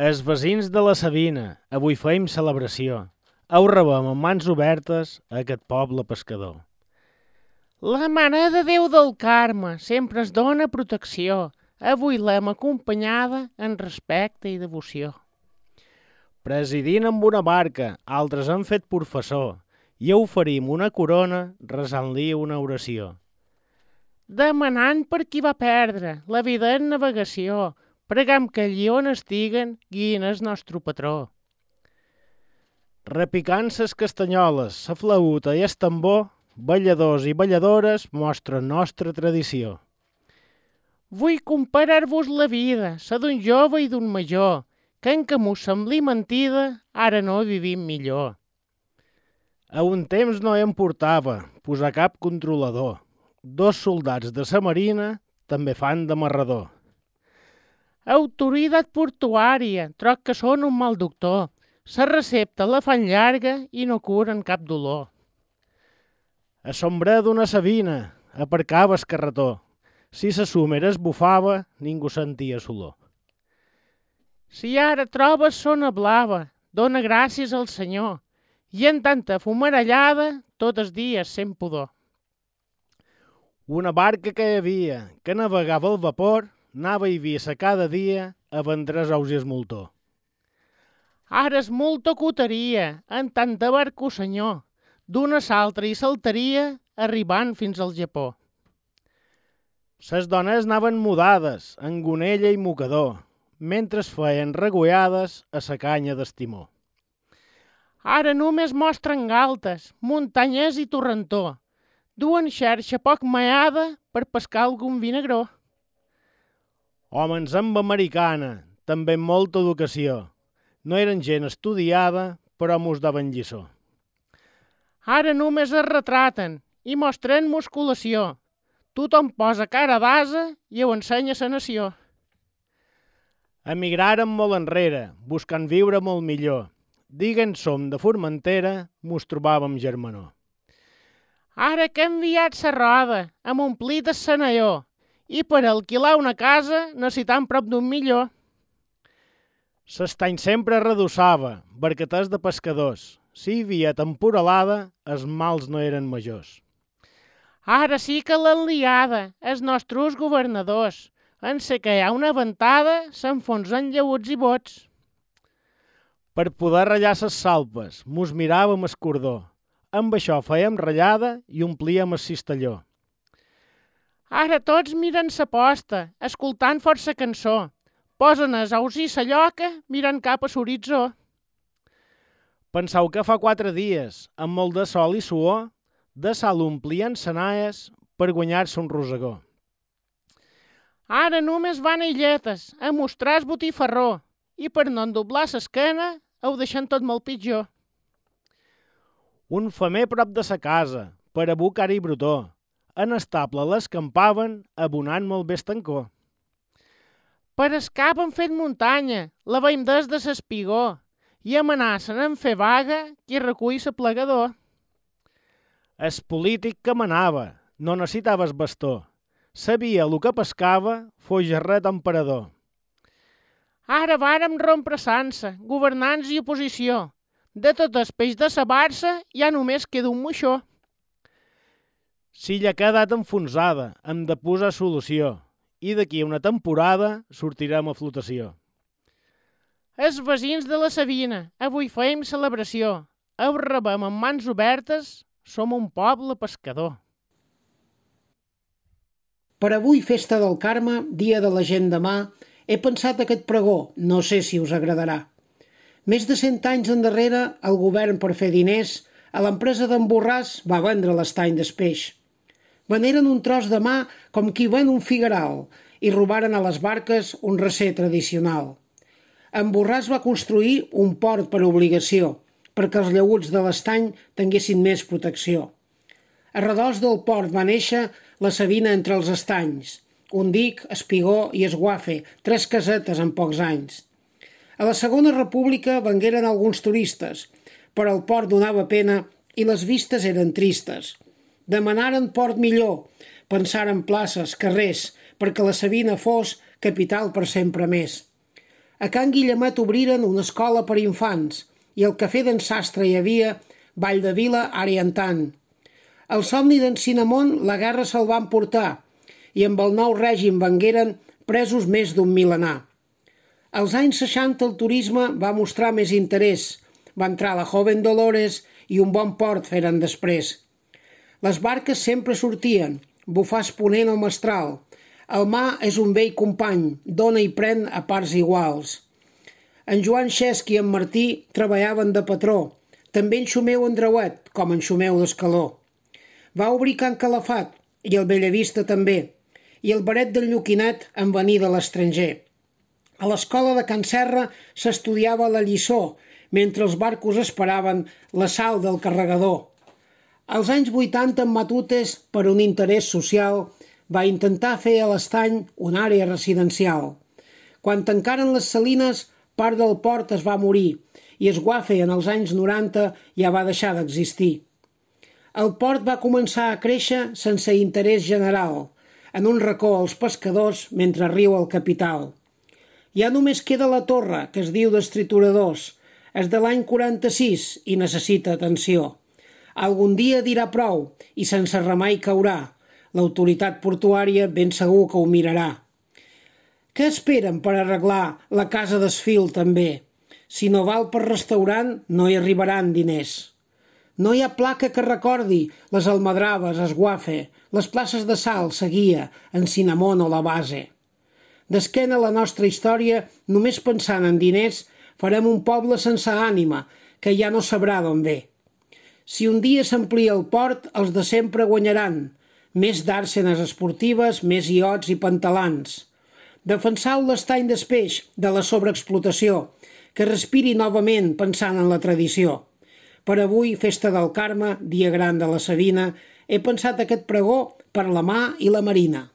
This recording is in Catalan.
Els vecins de la Sabina, avui feim celebració. Ho rebem amb mans obertes a aquest poble pescador. La Mare de Déu del Carme sempre es dona protecció. Avui l'hem acompanyada en respecte i devoció. Presidint amb una barca, altres han fet professor, i oferim una corona resant-li una oració. Demanant per qui va perdre la vida en navegació, pregam que allí on estiguen guiïn el nostre patró. Repicant ses castanyoles, sa flauta i el tambor, balladors i balladores mostren nostra tradició. Vull comparar-vos la vida, la d'un jove i d'un major, que en que m'ho sembli mentida, ara no vivim millor. A un temps no em portava posar cap controlador. 2 soldats de sa marina també fan d'amarrador. Autoritat portuària, troc que són un mal doctor. La recepta la fan llarga i no curen cap dolor. A sombra d'una sabina aparcava el carretó. Si sa suma esbufava, ningú sentia solor. Si ara trobes zona blava, dona gràcies al Senyor, i en tanta fumarallada, tot els dies sent pudor. Una barca que hi havia, que navegava al vapor, anava i via cada dia a vendre els ous i esmoltó. Ara és molta coteria, en tant de barco senyor, d'una s'altra i saltaria, arribant fins al Japó. Ses dones anaven mudades, en gonella i mocador, mentre es feien regollades a sa canya d'estimó. Ara només mostren galtes, muntanyes i torrentó. Duen xarxa poc maiada per pescar algun vinagró. Homes amb americana, també amb molta educació. No eren gent estudiada, però mos daven lliçó. Ara només es retraten i mostren musculació. Tothom posa cara d'ase i ho ensenya sa nació. Emigraren molt enrere, buscant viure molt millor. Diguen som de Formentera, mos trobàvem germanor. Ara que hem enviat sa roda, hem omplit el senalló, i per alquilar una casa necessitam prop d'un milió. S'estany sempre redossava, barqueters de pescadors. Si hi havia temporalada, els mals no eren majors. Ara sí que l'han liada, els nostres governadors. En sé que hi ha una ventada, s'enfonsen llaüts i bots. Per poder ratllar ses salpes, mos miràvem el cordó. Amb això fèiem ratllada i omplíem el cistelló. Ara tots miren sa posta, escoltant força cançó. Posen els ous i sa lloca mirant cap a l'horitzó. Penseu que fa 4 dies, amb molt de sol i suor, de sal omplien senaes per guanyar-se un rosegó. Ara només van a illetes a mostrar el botifarró i per no endoblar l'esquena ho deixen tot molt pitjor. Un femer prop de sa casa, per a bucar i brutó. En estable l'escampaven, abonant molt bé estancó. Per escap han fet muntanya, la veiem des de l'espigó, i amenacen en fer vaga qui recull l'aplegador. El polític que manava, no necessitava el bastó. Sabia el que pescava, fos gerret emperador. Ara vàrem rompre sansa, governants i oposició. De tot el peix de sa barça ja només queda un moixó. Si ja ha quedat enfonsada, hem de posar solució. I d'aquí a una temporada sortirem a flotació. Els vecins de la Sabina, avui feim celebració. Ho rebem amb mans obertes, som un poble pescador. Per avui, festa del Carme, dia de la gent demà, he pensat aquest pregó, no sé si us agradarà. Més de 100 anys endarrere, el govern, per fer diners, a l'empresa d'en Borràs va vendre l'estany d'espeix. Veneren un tros de mà com qui ven un figueral i robaren a les barques un recer tradicional. En Borràs va construir un port per obligació, perquè els llaüts de l'estany tinguessin més protecció. A redós del port va néixer la Sabina entre els estanys, un dic, espigó i esguafe, 3 casetes en pocs anys. A la Segona República vengueren alguns turistes, però el port donava pena i les vistes eren tristes. Demanaren port millor, pensaren places, carrers, perquè la Sabina fos capital per sempre més. A Can Guillemet obriren una escola per infants i al cafè d'en Sastre hi havia ball de vila ara i en tant. El somni d'en Cinnamon la guerra se'l va emportar i amb el nou règim vengueren presos més d'un milenar. Als anys 60 el turisme va mostrar més interès. Va entrar la Joven Dolores i un bon port feren després. Les barques sempre sortien, bufar ponent o mestral. El mar és un vell company, dona i pren a parts iguals. En Joan Xesc i en Martí treballaven de patró, també en Xumeu Andreuet, com en Xumeu d'Escaló. Va obrir Can Calafat, i el Bellavista també, i el baret del Lluquinet en venir de l'estranger. A l'escola de Can Serra s'estudiava la lliçó, mentre els barcos esperaven la sal del carregador. Als anys 80 en Matutes, per un interès social, va intentar fer a l'Estany una àrea residencial. Quan tancaren les salines, part del port es va morir i Esguafe en els anys 90 ja va deixar d'existir. El port va començar a créixer sense interès general, en un racó als pescadors mentre riu el capital. Ja només queda la torre, que es diu d'Estrituradors. És de l'any 46 i necessita atenció. Algun dia dirà prou i sense remei caurà. L'autoritat portuària ben segur que ho mirarà. Què esperen per arreglar la casa d'Esfil també? Si no val per restaurant, no hi arribaran diners. No hi ha placa que recordi les almadraves, Esguafe, les places de Sal, Seguia, en Cinnamon o la Base. D'esquena a la nostra història, només pensant en diners, farem un poble sense ànima, que ja no sabrà d'on ve. Si un dia s'amplia el port, els de sempre guanyaran. Més dàrsenes esportives, més iots i pantalans. Defensau l'estany d'Espeix de la sobreexplotació, que respiri novament pensant en la tradició. Per avui, festa del Carme, dia gran de la Sabina, he pensat aquest pregó per la Mar i la Marina.